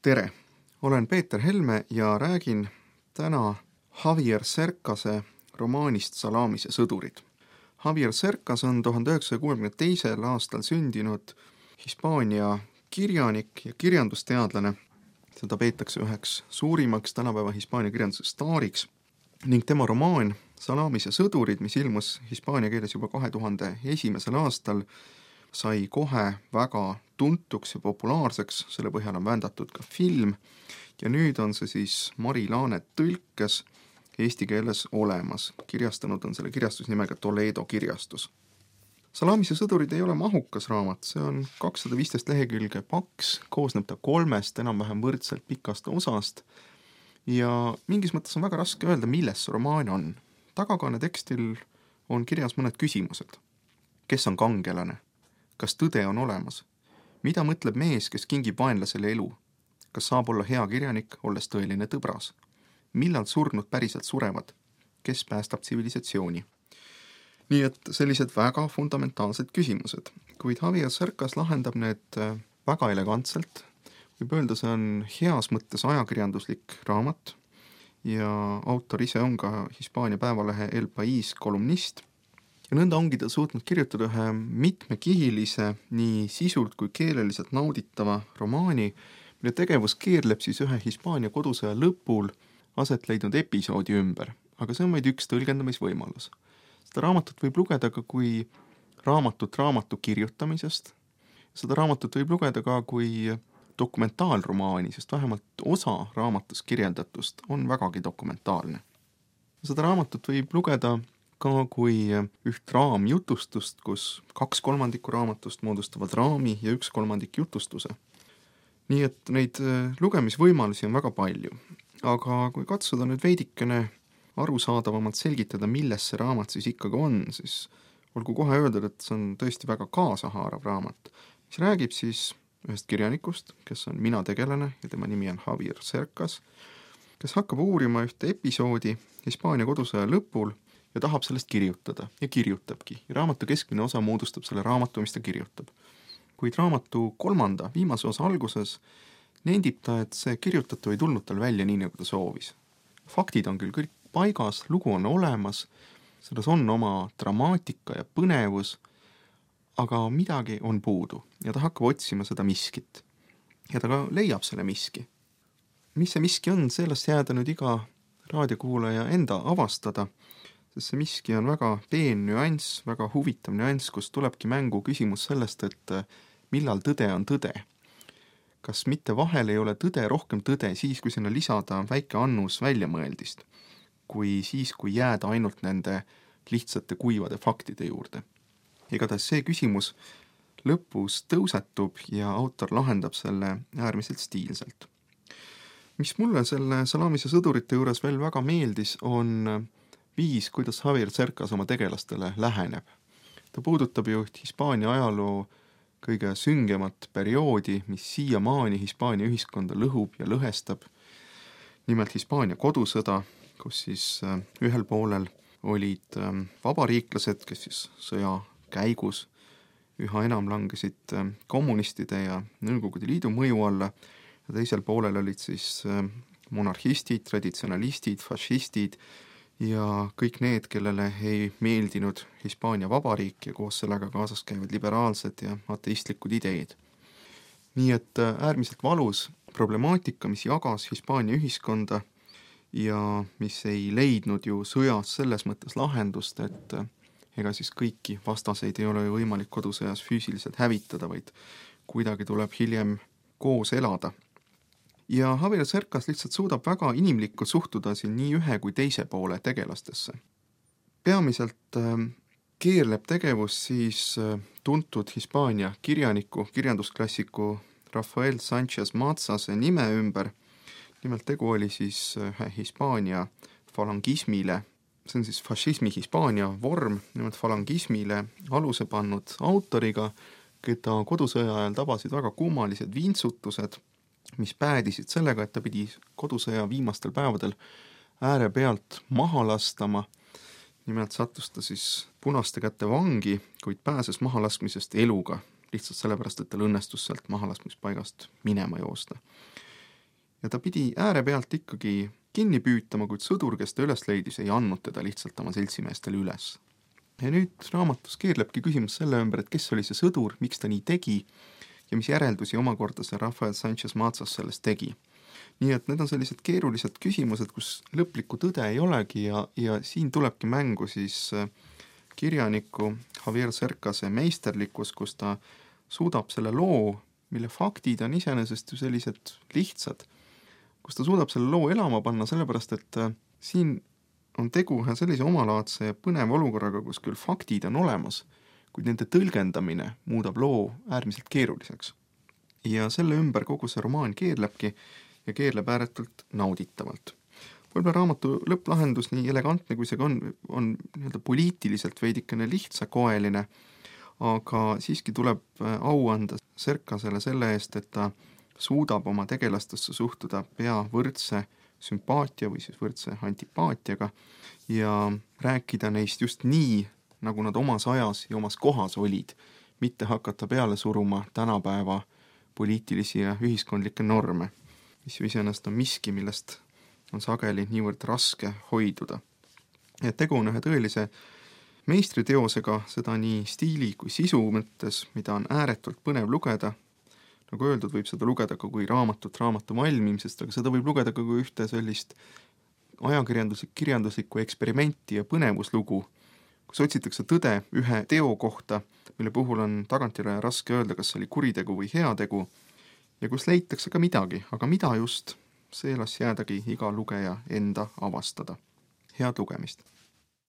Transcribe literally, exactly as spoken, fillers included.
Tere! Olen Peeter Helme ja räägin täna Javier Cercase romaanist Salamise sõdurid. Javier Cercas on tuhande üheksasaja kuuekümne teisel aastal sündinud Hispaania kirjanik ja kirjandusteadlane. Seda peetakse üheks suurimaks tänapäeva Hispaania kirjanduse staariks ning tema romaan Salamise sõdurid, mis ilmus hispaania keeles juba kahe tuhande esimesel aastal, sai kohe väga tuntuks ja populaarseks, selle põhjal on vändatud ka film ja nüüd on see siis Mari Laanet tõlkes eesti keeles olemas. Kirjastanud on selle kirjastusnimega Toledo kirjastus. Salamise sõdurid ei ole mahukas raamat, see on kakssada viisteist lehekülge paks, koosneb ta kolmest enam-vähem võrdselt pikast osast ja mingis mõttes on väga raske öelda, milles see romaan on. Tagakaane tekstil on kirjas mõned küsimused. Kes on kangelane? Kas tõde on olemas? Mida mõtleb mees, kes kingib vaenlasele elu? Kas saab olla hea kirjanik, olles tõeline tõbras? Millal surnud päriselt surevad? Kes päästab tsivilisatsiooni? Nii et sellised väga fundamentaalsed küsimused. Kuid Javier Cercas lahendab need väga elegantselt. Võib öelda, see on heas mõttes ajakirjanduslik raamat ja autor ise on ka Hispaania päevalehe El País kolumnist. Ja nõnda ongi ta suutnud kirjutada ühe mitmekihilise, nii sisult kui keeleliselt nauditava romaani, mille tegevus keerleb siis ühe Hispaania kodusõja lõpul aset leidnud episoodi ümber. Aga see on vaid üks tõlgendamisvõimalus. Seda raamatut võib lugeda ka kui raamatut raamatu kirjutamisest. Seda raamatut võib lugeda ka kui dokumentaalromaani, sest vähemalt osa raamatus kirjeldatust on vägagi dokumentaalne. Seda raamatut võib lugeda ka kui üht raamjutustust, kus kaks kolmandikku raamatust moodustavad raami ja üks kolmandik jutustuse. Nii et neid lugemisvõimalusi on väga palju. Aga kui katsuda nüüd veidikene arusaadavamalt selgitada, milles see raamat siis ikkagi on, siis olgu kohe öelda, et see on tõesti väga kaasahaarav raamat, mis räägib siis ühest kirjanikust, kes on mina tegelane ja tema nimi on Javier Cercas, kes hakkab uurima ühte episoodi Hispaania kodusõja lõpul ja tahab sellest kirjutada ja kirjutabki. Ja raamatu keskmine osa moodustab selle raamatu, mis ta kirjutab. Kuid raamatu kolmanda, viimase osa alguses nendib ta, et see kirjutatu ei tulnud tal välja nii, nagu ta soovis. Faktid on küll kõik paigas, lugu on olemas, selles on oma dramaatika ja põnevus, aga midagi on puudu ja ta hakkab otsima seda miskit. Ja ta ka leiab selle miski. Mis see miski on, sellest jääda nüüd iga raadiokuulaja enda avastada, sest see miski on väga peen nüanss, väga huvitav nüanss, kus tulebki mängu küsimus sellest, et millal tõde on tõde. Kas mitte vahel ei ole tõde rohkem tõde siis, kui sinna lisada väike annus väljamõeldist, kui siis, kui jääda ainult nende lihtsate kuivade faktide juurde. Igatahes see küsimus lõpus tõusetub ja autor lahendab selle äärmiselt stiilselt. Mis mulle selle Salamise sõdurite juures veel väga meeldis, on viis, kuidas Javier Cercas oma tegelastele läheneb. Ta puudutab ju Hispaania ajaloo kõige süngemat perioodi, mis siiamaani Hispaania ühiskonda lõhub ja lõhestab. Nimelt Hispaania kodusõda, kus siis ühel poolel olid vabariiklased, kes siis sõja käigus üha enam langesid kommunistide ja Nõukogude Liidu mõju alla ja teisel poolel olid siis monarhistid, traditsionalistid, fašistid ja kõik need, kellele ei meeldinud Hispaania vabariik ja koos sellega kaasas käivad liberaalsed ja ateistlikud ideed. Nii et äärmiselt valus problemaatika, mis jagas Hispaania ühiskonda ja mis ei leidnud ju sõjas selles mõttes lahendust, et ega siis kõiki vastaseid ei ole võimalik kodusõjas füüsiliselt hävitada, vaid kuidagi tuleb hiljem koos elada. Ja Javier Cercas lihtsalt suudab väga inimlikult suhtuda siin nii ühe kui teise poole tegelastesse. Peamiselt keerleb tegevus siis tuntud Hispaania kirjaniku, kirjandusklassiku Rafael Sánchez Mazase nime ümber. Nimelt tegu oli siis ühe Hispaania falangismile, see on siis fašismi Hispaania vorm, nimelt falangismile aluse pannud autoriga, keda kodusõja ajal tabasid väga kummalised vintsutused, mis päädisid sellega, et ta pidi kodusõja viimastel päevadel ääre pealt maha lastama. Nimelt sattus ta siis punaste kätte vangi, kuid pääses mahalaskmisest eluga, lihtsalt sellepärast, et tal õnnestus sealt mahalaskmispaigast minema joosta. ja ta pidi ääre pealt ikkagi kinni püütama, kuid sõdur, kes ta üles leidis, ei andnud teda lihtsalt oma seltsimeestele üles. Ja nüüd raamatus keerlebki küsimus selle ümber, et kes oli see sõdur, miks ta nii tegi ja mis järeldusi omakorda see Rafael Sanchez Mazas sellest tegi. Nii et need on sellised keerulised küsimused, kus lõplikku tõde ei olegi ja, ja siin tulebki mängu siis kirjaniku Javier Cercase meisterlikkus, kus ta suudab selle loo, mille faktid on iseenesest ju sellised lihtsad, kus ta suudab selle loo elama panna, sellepärast et siin on tegu ühe sellise omalaadse ja põneva olukorraga, kus küll faktid on olemas, kuid nende tõlgendamine muudab loo äärmiselt keeruliseks. Ja selle ümber kogu see romaan keerlebki ja keerleb ääretult nauditavalt. Võib-olla raamatu lõpplahendus, nii elegantne kui see on, on nii-öelda poliitiliselt veidikene lihtsakoeline, aga siiski tuleb au anda Cercasele selle eest, et ta suudab oma tegelastesse suhtuda pea võrdse sümpaatia või siis võrdse antipaatiaga ja rääkida neist just nii, nagu nad omas ajas ja omas kohas olid, mitte hakata peale suruma tänapäeva poliitilisi ja ühiskondlikke norme, mis ju iseenesest on miski, millest on sageli niivõrd raske hoiduda. Ja tegu on ühe tõelise meistriteosega, seda nii stiili kui sisu mõttes, mida on ääretult põnev lugeda. Nagu öeldud, võib seda lugeda ka kui raamatut raamatu valmimisest, aga seda võib lugeda ka kui ühte sellist ajakirjanduslik, kirjanduslikku eksperimenti ja põnevuslugu, kus otsitakse tõde ühe teo kohta, mille puhul on tagantjärele raske öelda, kas see oli kuritegu või heategu, ja kus leitakse ka midagi, aga mida just, see las jäädagi iga lugeja enda avastada. Head lugemist!